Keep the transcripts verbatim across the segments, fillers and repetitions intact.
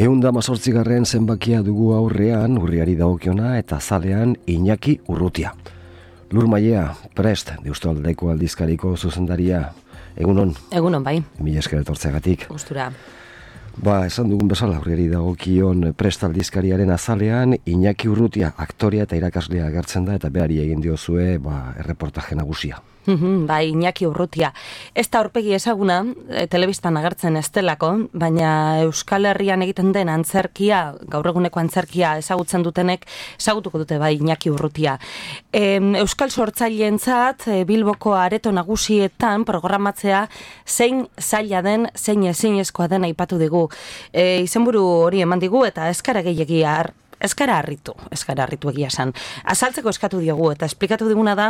Ehun da mazortzigarren zenbakia dugu aurrean, urriari dagokiona eta zalean Iñaki Urrutia. Lur Mailea, prest, Deustaldeko aldizkariko zuzendaria. Egunon? Egunon, bai. Mila esker etortzeagatik. Gustura. Ba, esan dugun bezala, urriari dagokion prest aldizkariaren azalean Iñaki Urrutia, aktorea eta irakaslea agertzen da, eta behari egin diozue, ba, erreportaje nagusia. Bai, Iñaki Urrutia. Ez da aurpegi ezaguna, e, telebistan agertzen ez delako, baina Euskal Herrian egiten den antzerkia, gaur eguneko antzerkia ezagutzen dutenek, ezagutuko dute bai Iñaki Urrutia. E, Euskal sortzaileentzat e, Bilboko areto nagusietan programatzea zein zaila den, zein ezinezkoa den aipatu digu. E, izenburu hori eman digu eta eskara gehiagia har. Eskara harritu, eskara harritu egia esan. Azaltzeko eskatu diogu eta esplikatu diguna da,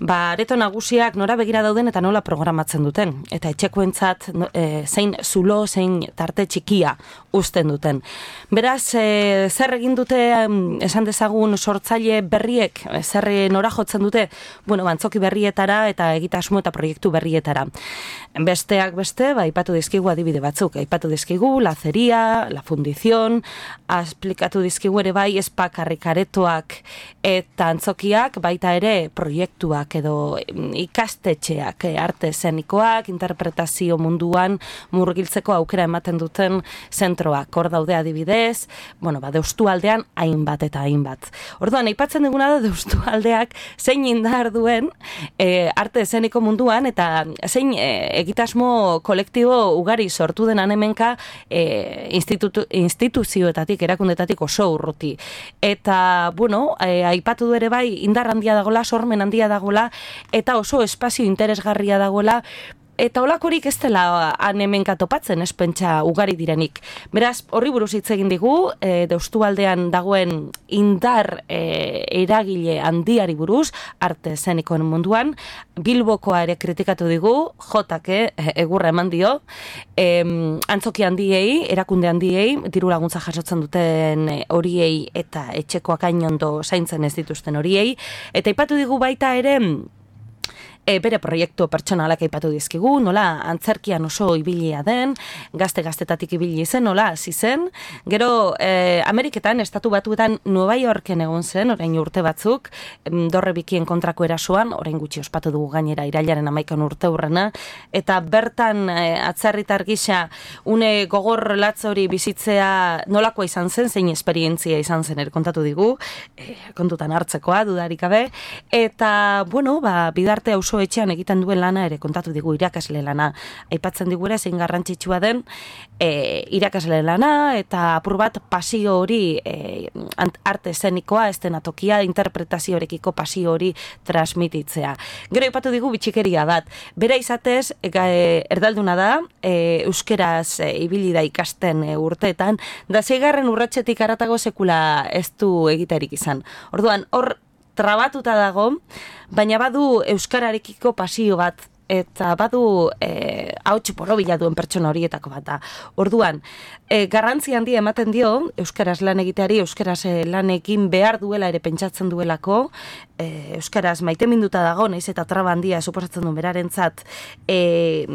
ba, areto nagusiak nora begira dauden eta nola programatzen duten. Eta etxekoentzat e, zein zulo, zein tarte txikia uzten duten. Beraz, e, zer egin dute, esan dezagun sortzaile berriek, zer nora jotzen dute, bueno, bantzoki berrietara eta egitasmo eta proiektu berrietara. Besteak beste, ba, aipatu dizkigu adibide batzuk. Aipatu dizkigu Lazeria, La Fundición, esplikatu dizkigu ere bai espakarrik aretoak eta antzokiak, baita ere proiektuak edo ikastetxeak, arte eszenikoak, interpretazio munduan murgiltzeko aukera ematen duten zentroak. Hor daude adibidez, bueno, ba, Deustualdean hainbat eta hainbat. Orduan, aipatzen diguna da Deustualdeak zein indar duen e, arte eszeniko munduan eta zein e, egitasmo kolektibo ugari sortu denan hemenka e, institutu, instituzioetatik, erakundetatik oso urruti. Eta, bueno, e, aipatu du ere bai, indar handia dagola, sormen handia dagola, eta oso espazio interesgarria dagola, eta olakorik ez dela hemenka topatzen, ez pentsa ugari direnik. Beraz, horri buruz hitz egin digu, e, Deustualdean dagoen indar e, eragile handiari buruz, arte eszenikoen munduan, Bilbokoa ere kritikatu digu, jotake egurra eman dio, e, antzoki handiei, erakunde handiei, diru laguntza jasotzen duten horiei eta etxekoak ainondo zaintzen ez dituzten horiei, eta aipatu digu baita ere, E, bere proiektu pertsonalak aipatu dizkigu, nola antzerkian oso ibilia den, gazte-gaztetatik ibili zen, nola hasi zen. Gero, e, Ameriketan, estatu batuetan Nueva Yorken egon zen, orain urte batzuk, dorre bikien kontrako erasoan, orain gutxi ospatu dugu gainera irailaren hamaikan urte hurrena, eta bertan e, atzerritar gisa une gogor latz hori bizitzea nolakoa izan zen, zein esperientzia izan zen ere kontatu digu, e, kontutan hartzekoa, dudarik gabe, eta, bueno, ba, bidarte hau etxean egiten duen lana ere kontatu digu irakasle lana. Aipatzen digure zein garrantzitsua den e, irakasle lana eta apur bat pasio hori e, arte eszenikoa, estenatokia, interpretazioarekiko pasio hori transmititzea. Gero aipatu digu bitxikeria bat. Bera izatez, e, erdalduna da, e, euskeraz e, ibili da ikasten e, urteetan, da zeigarren urratsetik haratago sekula ez du egiterik izan. Orduan, hor trabatuta dago, baina badu euskararekiko pasio bat, eta badu e, hauts borobila duen pertsona horietako bat da. Orduan, e, garrantzi handia ematen dio, euskaraz lan egiteari, euskaraz lanekin behar duela ere pentsatzen duelako, e, euskaraz maiteminduta dago, naiz eta traba handia suposatzen duen berarentzat e,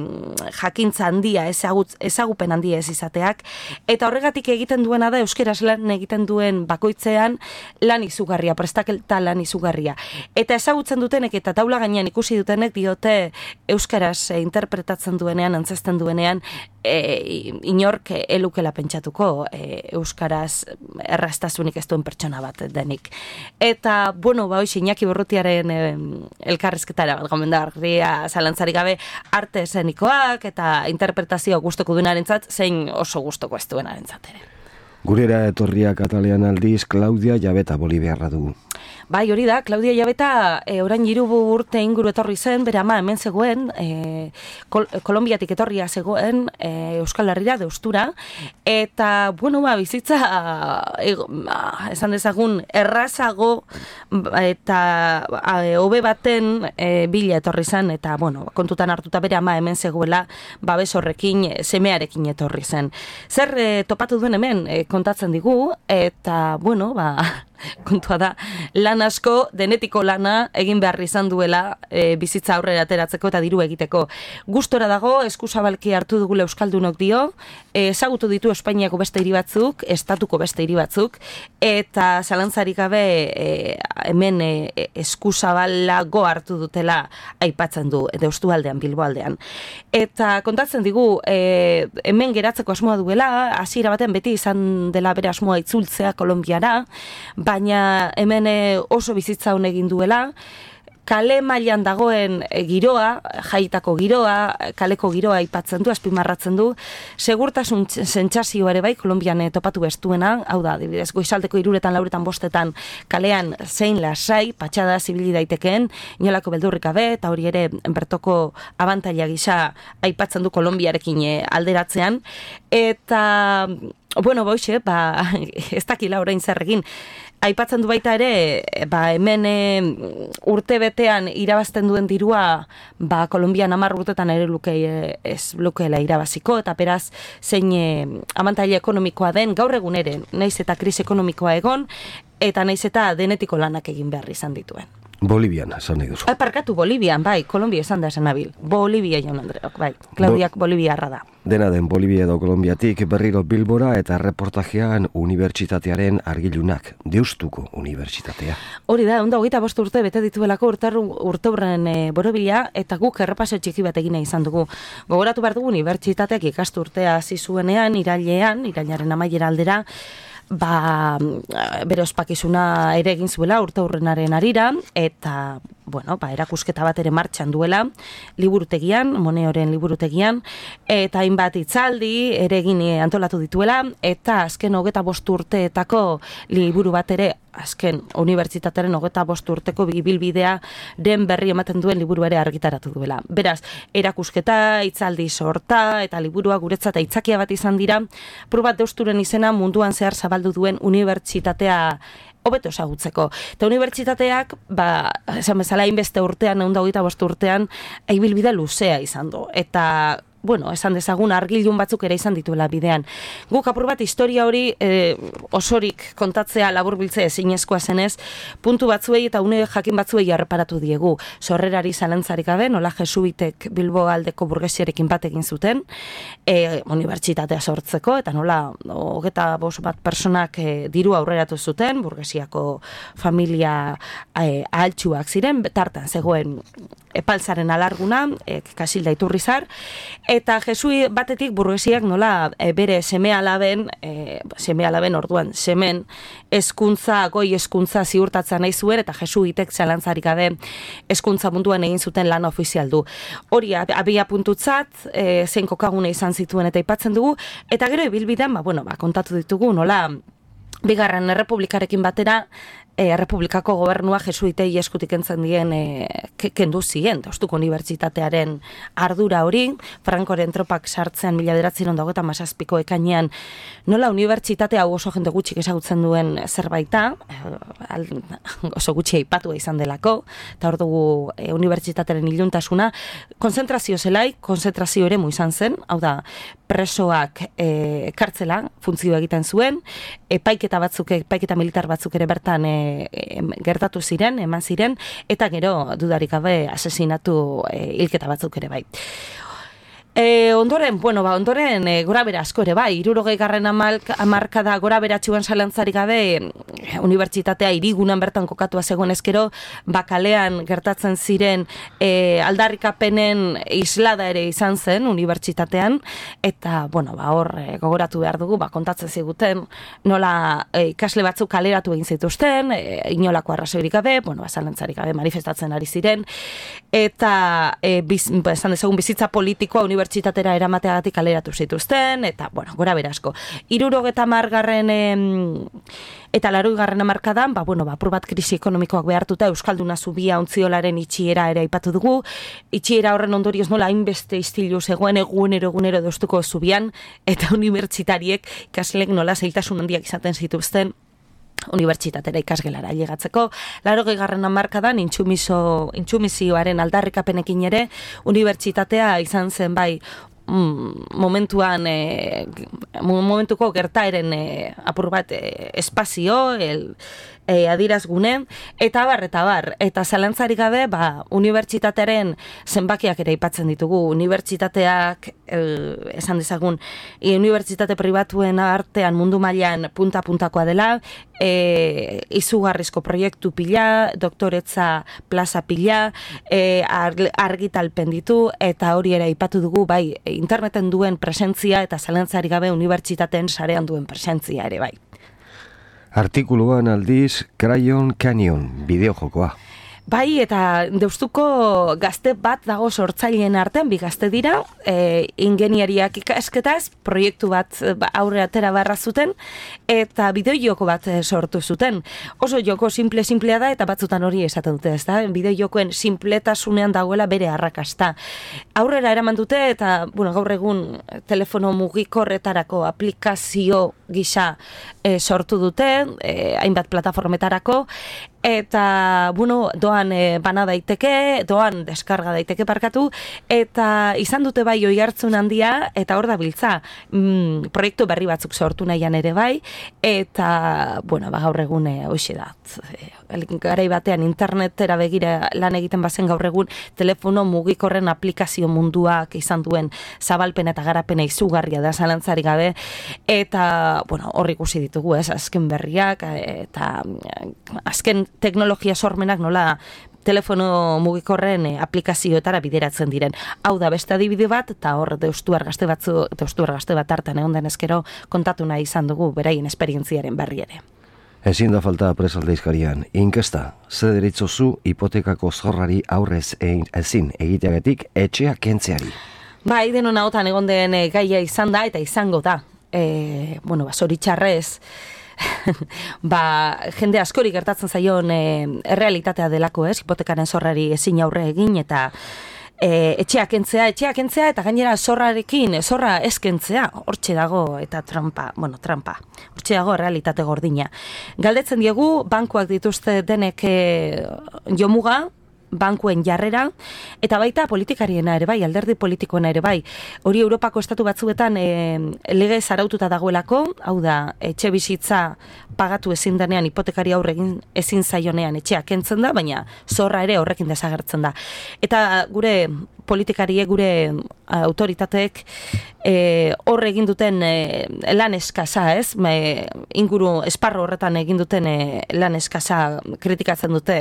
jakintza handia, ezagut, ezagupen handia ez izateak, eta horregatik egiten duena da euskaraz lan egiten duen bakoitzean lan izugarria, prestaketa lan izugarria. Eta ezagutzen dutenek eta taula gainean ikusi dutenek diote euskaraz e, interpretatzen duenean, antzesten duenean, e, inork elukela pentsatuko e, euskaraz erraztasunik ez duen pertsona bat denik. Eta, bueno, ba, hoxe, Iñaki Urrutiaren e, elkarrizketara bat gomendagarria zalantzarik gabe arte eszenikoak eta interpretazio gustoko duenarentzat, zein oso gustoko ez duenarentzat ere. Gurera etorriak atalean aldiz, Claudia Jabeta Boliviarra dugu. Bai, hori da, Claudia Jabeta e, orain hiru urte inguru etorri zen, bere ama hemen zegoen, e, Kol Kolonbiatik etorria zegoen, e, Euskal Herrira, Deustura, eta, bueno, ba, bizitza, e, ba, esan dezagun, errazago eta hobe baten e, bila etorri zen, eta, bueno, kontutan hartuta bere ama hemen zegoela, babes horrekin, semearekin etorri zen. Zer e, topatu duen hemen, e, kontatzen digu, eta, bueno, ba, kontua da, lan asko, denetiko lana, egin behar izan duela e, bizitza aurrera ateratzeko eta diru egiteko. Gustora dago, eskuzabalki hartu dugula euskaldunok dio, e, ezagutu ditu Espainiako beste hiri batzuk, estatuko beste hiri batzuk, eta zalantzarik gabe e, hemen e, eskuzabalago hartu dutela aipatzen du, Deustu aldean, Bilbo aldean. Eta kontatzen digu, e, hemen geratzeko asmoa duela, hasiera baten beti izan dela bere asmoa itzultzea Kolonbiara, baina hemen oso bizitza hon egin duela, kale mailan dagoen giroa, jaitako giroa, kaleko giroa aipatzen du, azpimarratzen du, segurtasun sentsazio ere bai, Kolonbian topatu bestuena, hau da, adibidez, goizaldeko hiruretan, lauretan, bostetan, kalean zein lasai, patxada zibili daitekeen, inolako beldurrik gabe, eta hori ere bertoko abantaila gisa aipatzen du Kolonbiarekin alderatzean, eta, bueno, boixe, ba, ez dakila orain zer egin, aipatzen du baita ere, ba, hemen e, urte betean irabazten duen dirua, ba, Kolonbian hamar urtetan ere luke, e, ez lukeela irabaziko, eta beraz, zein e, abantaila ekonomikoa den, gaur egun ere, naiz eta krisi ekonomikoa egon, eta naiz eta denetiko lanak egin behar izan dituen. Bolivian, esan nahi duzu. Parkatu, Bolivian, bai, Kolombia esan da esan nabil. Bolivia jaun Andreok, bai, Klaudiak Bo Boliviarra da. Dena den Bolivia edo Kolonbiatik berriro Bilbora eta reportajean unibertsitatearen argilunak, Deustuko unibertsitatea. Hori da, onda hogeita bost urte bete dituelako urteurren e, borobila, eta guk errepaso txiki bat egina izan dugu. Gogoratu behar dugu unibertsitateak ikasturtea hasi zuenean, irailean, irailaren amaiera aldera, ba, bere ospakizuna ere egin zuela urteurrenaren arira, eta, bueno, ba, erakusketa bat ere martxan duela, liburutegian, Moneoren liburutegian, eta hainbat hitzaldi ere egin antolatu dituela, eta azken hogeta bost urteetako liburu bat ere, azken unibertsitatearen hogeta bost urteko bibilbidea den berri ematen duen liburu ere argitaratu duela. Beraz, erakusketa, hitzaldi sorta, eta liburua guretzat aitzakia bat izan dira, probat Deusturen izena munduan zehar zabaldu duen unibertsitatea hobeto ezagutzeko. Eta unibertsitateak, ba, esan bezala hainbeste urtean, ehun eta hogeita bost urtean, ibilbide luzea izan du. Eta, bueno, esan dezagun argilun batzuk ere izan dituela bidean. Guk apur bat historia hori e, osorik kontatzea laburbiltzea ezinezkoa zenez, puntu batzuei eta une jakin batzuei erreparatu diegu. Sorrerari zalantzarik gabe, nola jesuitek Bilbo aldeko burgesiarekin bat egin zuten, e, unibertsitatea sortzeko, eta nola hogeta bost bat personak e, diru aurreratu zuten, burgesiako familia e, ahaltsuak ziren, tartan zegoen epaltzaren alarguna, e, Kasilda Iturrizar, eta jesui batetik burgesiak nola e, bere seme alaben, e, seme alaben orduan, semen hezkuntza goi hezkuntza ziurtatzen nahi zuen, eta jesuitek zalantzarik gabe hezkuntza munduan egin zuten lan ofizial du. Hori abia puntutzat, e, zein kokagune izan zituen eta aipatzen dugu, eta gero ibilbidean, ba, bueno, ba, kontatu ditugu, nola bigarren errepublikarekin batera, E, Errepublikako gobernua jesuitei eskutik entzen dien e, kendu ziren, Deustuko unibertsitatearen ardura hori, Frankoren tropak sartzean mila bederatziehun eta hogeita hamazazpiko ekainean, nola unibertsitatea hau oso jende gutxik ezagutzen duen zerbaita, oso gutxi aipatua izan delako, eta hor dugu e, unibertsitatearen iluntasuna, konzentrazio zelai, konzentrazio ere mu izan zen, hau da, presoak e, kartzela funtzio egiten zuen, epaiketa batzuk, epaiketa militar batzuk ere bertan e, gertatu ziren, eman ziren, eta gero dudarik gabe asesinatu e, hilketa batzuk ere bai. E, ondoren, bueno, ba, ondoren e, gora bera asko ere bai, hirurogei garren hamarkada gora beratxuan zalantzarik gabe unibertsitatea hirigunan bertan kokatua zegoen ezkero, bakalean gertatzen ziren e, aldarrikapenen islada ere izan zen unibertsitatean, eta, bueno, ba, hor e, gogoratu behar dugu, ba, kontatzen ziguten nola e, ikasle batzuk kaleratu egin zituzten, e, inolako arrazoirik gabe, bueno, ba, zalantzarik gabe manifestatzen ari ziren, eta e, biz, ba, esan dezagun bizitza politikoa unibertsitatea unibertsitatera eramateagatik kaleratu zituzten, eta, bueno, gora berasko. Hirurogeta hamargarren eta laurogeigarren hamarkadan, ba, bueno, ba, apur bat krisi ekonomikoak behartuta Euskalduna zubia ontziolaren itxiera ere aipatu dugu. Itxiera horren ondorioz nola hainbeste istilu zegoen egunero egunero Deustuko zubian, eta unibertsitariek ikasleek nola zailtasun handiak izaten zituzten unibertsitatera ikasgelara llegatzeko. Laurogeigarren hamarkadan intsumiso intsumizioaren aldarrikapenekin ere unibertsitatea izan zen bai mm, momentuan e, momentuko gertaeren e, apur bat e, espazio el, e, adirazgune, eta bar, eta bar, eta zalantzarik gabe, ba, unibertsitatearen zenbakiak ere aipatzen ditugu, unibertsitateak, e, esan dezagun, e, unibertsitate pribatuen artean mundu mailan punta-puntakoa dela, e, izugarrizko proiektu pila, doktoretza plaza pila, e, argitalpen ditu, eta hori ere aipatu dugu, bai, interneten duen presentzia eta zalantzarik gabe unibertsitateen sarean duen presentzia ere, bai. Artikuluan aldiz, Crayon Canyon, bideojokoa. Bai, eta Deustuko gazte bat dago sortzaileen artean, bi gazte dira, e, ingeniariak ikasketaz, proiektu bat aurre atera barra zuten, eta bideojoko bat sortu zuten. Oso joko simple-simplea da, eta batzutan hori esaten dute, ez da? Bideojokoen simpletasunean dagoela bere arrakasta. Aurrera eraman dute, eta, bueno, gaur egun telefono mugikorretarako aplikazio gisa e, sortu dute, e, hainbat plataformetarako, eta, bueno, doan e, bana daiteke, doan deskarga daiteke parkatu, eta izan dute bai oi hartzun handia, eta hor da biltza, mm, proiektu berri batzuk sortu nahian ere bai, eta, bueno, ba, gaur egun e, hoxe da. E, garai batean internetera begira lan egiten bazen gaur egun, telefono mugikorren aplikazio munduak izan duen zabalpen eta garapena izugarria da zalantzarik gabe, eta, bueno, hor ikusi ditugu, ez, azken berriak, eta azken teknologia sormenak nola telefono mugikorren e, aplikazioetara bideratzen diren. Hau da beste adibide bat, eta hor Deustuar gazte batzu, Deustuar gazte bat hartan egon den ezkero kontatu nahi izan dugu beraien esperientziaren berri ere. Ezin da falta presaldeizkarian, inkesta, ze deritzozu hipotekako zorrari aurrez egin, ezin egiteagatik etxea kentzeari. Bai, denon ahotan egon den e, gaia izan da eta izango da. E, bueno, ba, zoritxarrez, ba, jende askori gertatzen zaion e, errealitatea delako, ez? Hipotekaren zorrari ezin aurre egin eta e, etxeak kentzea, etxeak kentzea eta gainera zorrarekin, zorra ez kentzea, hortxe dago eta trampa, bueno, trampa, hortxe dago realitate gordina. Galdetzen diegu, bankuak dituzte denek e, jomuga, bankuen jarrera, eta baita politikariena ere bai, alderdi politikoena ere bai. Hori Europako estatu batzuetan e, lege zaraututa dagoelako, hau da, etxe bizitza pagatu ezin denean, hipotekari aurre egin ezin zaionean etxea kentzen da, baina zorra ere horrekin desagertzen da. Eta gure politikarie, gure autoritateek e, horre egin duten e, lan eskasa, ez? Me, inguru esparro horretan egin duten e, lan eskasa kritikatzen dute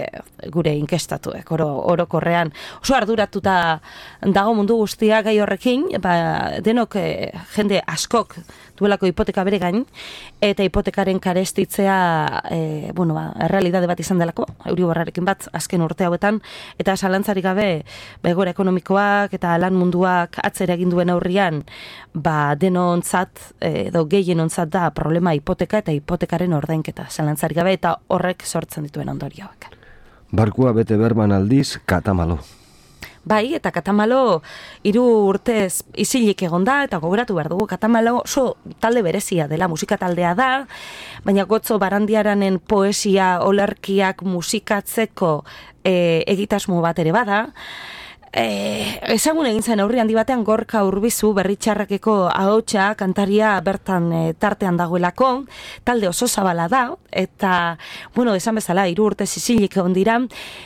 gure inkestatuek, oro, orokorrean. Oso arduratuta dago mundu guztia gai horrekin, ba, denok e, jende askok duelako hipoteka bere gain, eta hipotekaren karestitzea, e, bueno, ba, errealitate bat izan delako, Euriborrarekin bat, azken urte hauetan, eta zalantzarik gabe, begora ekonomikoak eta lan munduak atzera egin duen aurrian, ba, denontzat, edo gehienontzat da problema hipoteka eta hipotekaren ordainketa, zalantzarik gabe, eta horrek sortzen dituen ondorioak. Barkua bete berman aldiz, katamalo. Bai, eta Katamalo hiru urtez isilik egon da, eta gogoratu behar dugu, Katamalo oso talde berezia dela, musika taldea da, baina Gotzo Barandiaranen poesia olerkiak musikatzeko e, egitasmo bat ere bada. E, ezagun egin zen aurri handi batean Gorka Urbizu berritxarrakeko ahotsa kantaria bertan e, tartean dagoelako, talde oso zabala da, eta, bueno, esan bezala, hiru urte isilik egon dira,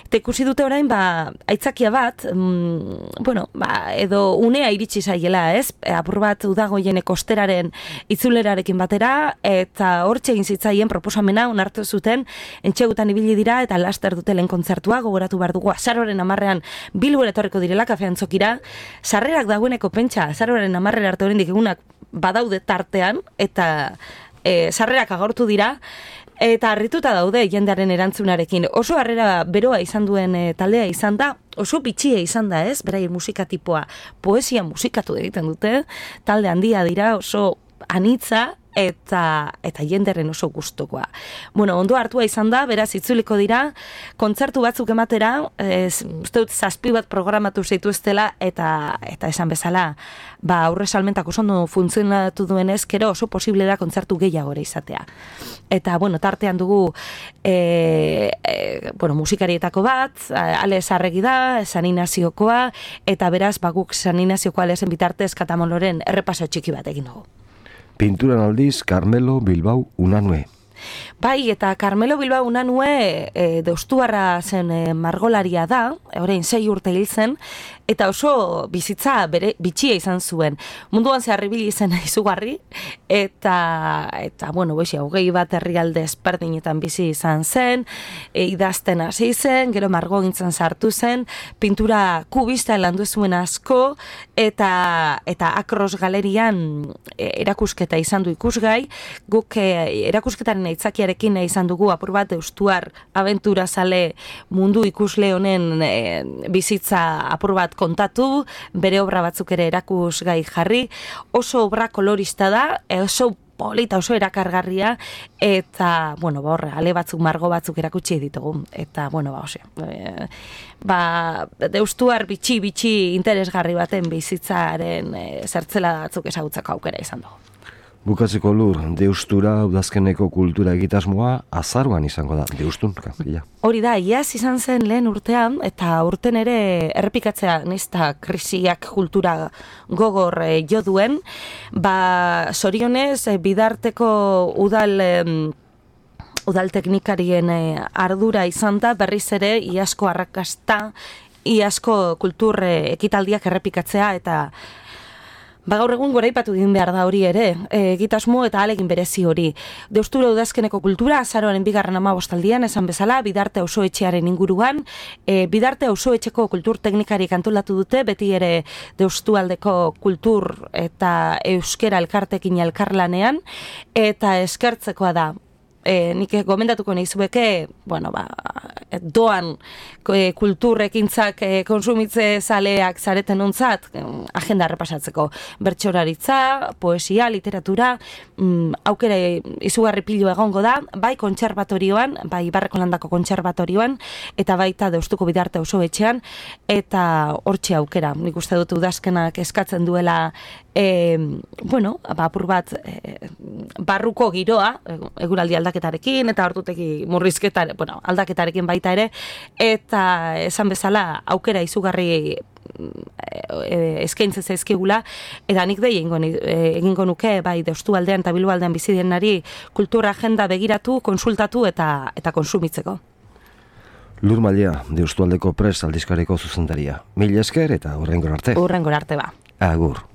eta ikusi dute orain, ba, aitzakia bat, mm, bueno, ba, edo unea iritsi zaiela, ez? E, apur bat udagoien kosteraren itzulerarekin batera, eta hortxe egin zitzaien proposamena onartu zuten, entxegutan ibili dira, eta laster dutelen kontzertua, gogoratu behar dugu, azaroren amarrean Bilbora etorriko direla kafean txokira, sarrerak dagoeneko pentsa, azaroren amarrera arte oraindik egunak badaude tartean, eta e, sarrerak agortu dira, eta harrituta daude jendearen erantzunarekin. Oso harrera beroa izan duen e, taldea izan da, oso bitxia izan da, ez? Beraien musika tipoa, poesia musikatu egiten dute, talde handia dira, oso anitza, eta eta jenderen oso gustokoa. Bueno, ondo hartua izan da, beraz itzuliko dira, kontzertu batzuk ematera, ez, uste dut zazpi bat programatu zituztela, eta eta esan bezala, ba, aurre salmentak oso ondo funtzionatu duenez, kero oso posible da kontzertu gehiago ere izatea. Eta, bueno, tartean dugu, e, e, bueno, musikarietako bat, Ale Sarregi da, San Inazioko,a eta beraz, baguk San Inazioko Alezen bitartez Katamaloren errepaso txiki bat egin dugu. Pinturan aldiz, Carmelo Bilbao Unanue. Bai, eta Carmelo Bilbao Unanue e, deustuarra zen e, margolaria da, orain sei urte hil zen, eta oso bizitza bere bitxia izan zuen. Munduan zehar ibili zen izugarri, eta, eta bueno, boixi, hogei bat herrialde ezberdinetan bizi izan zen, e, idazten hasi zen, gero margogintzan sartu zen, pintura kubista landu zuen asko, eta, eta Akros galerian e, erakusketa izan du ikusgai, guk e, erakusketaren aitzakiarekin izan dugu apur bat deustuar abentura zale mundu ikusle honen e, bizitza apur bat kontatu, bere obra batzuk ere erakusgai jarri, oso obra kolorista da, oso polita, oso erakargarria, eta, bueno, ba, horre, ale batzuk, margo batzuk erakutsi ditugu, eta, bueno, ba, ose, e, ba, deustuar bitxi-bitxi interesgarri baten bizitzaren e, zertzela batzuk ezagutzeko aukera izan dugu. Bukatzeko Lur, deustura udazkeneko kultura egitasmoa azaruan izango da, deustun, ja. Hori da, iaz izan zen lehen urtean, eta urten ere errepikatzea nizta krisiak kultura gogor e, jo duen, ba, sorionez, e, bidarteko udal... E, udal teknikarien e, ardura izan da, berriz ere, iasko arrakasta, iasko kultur e, ekitaldiak errepikatzea, eta ba, gaur egun goraipatu egin behar da hori ere, egitasmo eta alegin berezi hori. Deustura udazkeneko kultura, azaroaren bigarren amabostaldian, esan bezala, Bidarte auzoetxearen inguruan, e, Bidarte auzoetxeko kultur teknikarik antolatu dute, beti ere deustualdeko kultur eta euskera elkartekin elkarlanean, eta eskertzekoa da. E, nik gomendatuko nahizueke, bueno, ba, doan e, kulturrekintzak e, konsumitze zaleak zareten ontzat, e, agenda repasatzeko. Bertsoraritza, poesia, literatura, mm, aukera izugarri pilu egongo da, bai kontserbatorioan, bai Ibarreko Landako kontserbatorioan, eta baita Deustuko Bidarte auzoetxean, eta hortxe aukera. Nik uste dut udazkenak eskatzen duela, e, bueno, ba, apur bat, e, barruko giroa, eguraldi aldaketarekin, eta ordutegi murrizketare, bueno, aldaketarekin baita ere, eta esan bezala aukera izugarri eskaintzen zaizkigula, eta nik dei egingo, egingo nuke, bai, Deustu aldean eta Bilbo aldean bizi denari kultura agenda begiratu, konsultatu eta eta konsumitzeko. Lur Mailea, Deustu aldeko Prest aldizkariko zuzendaria. Mil esker eta hurrengora arte. Hurrengora arte ba. Agur.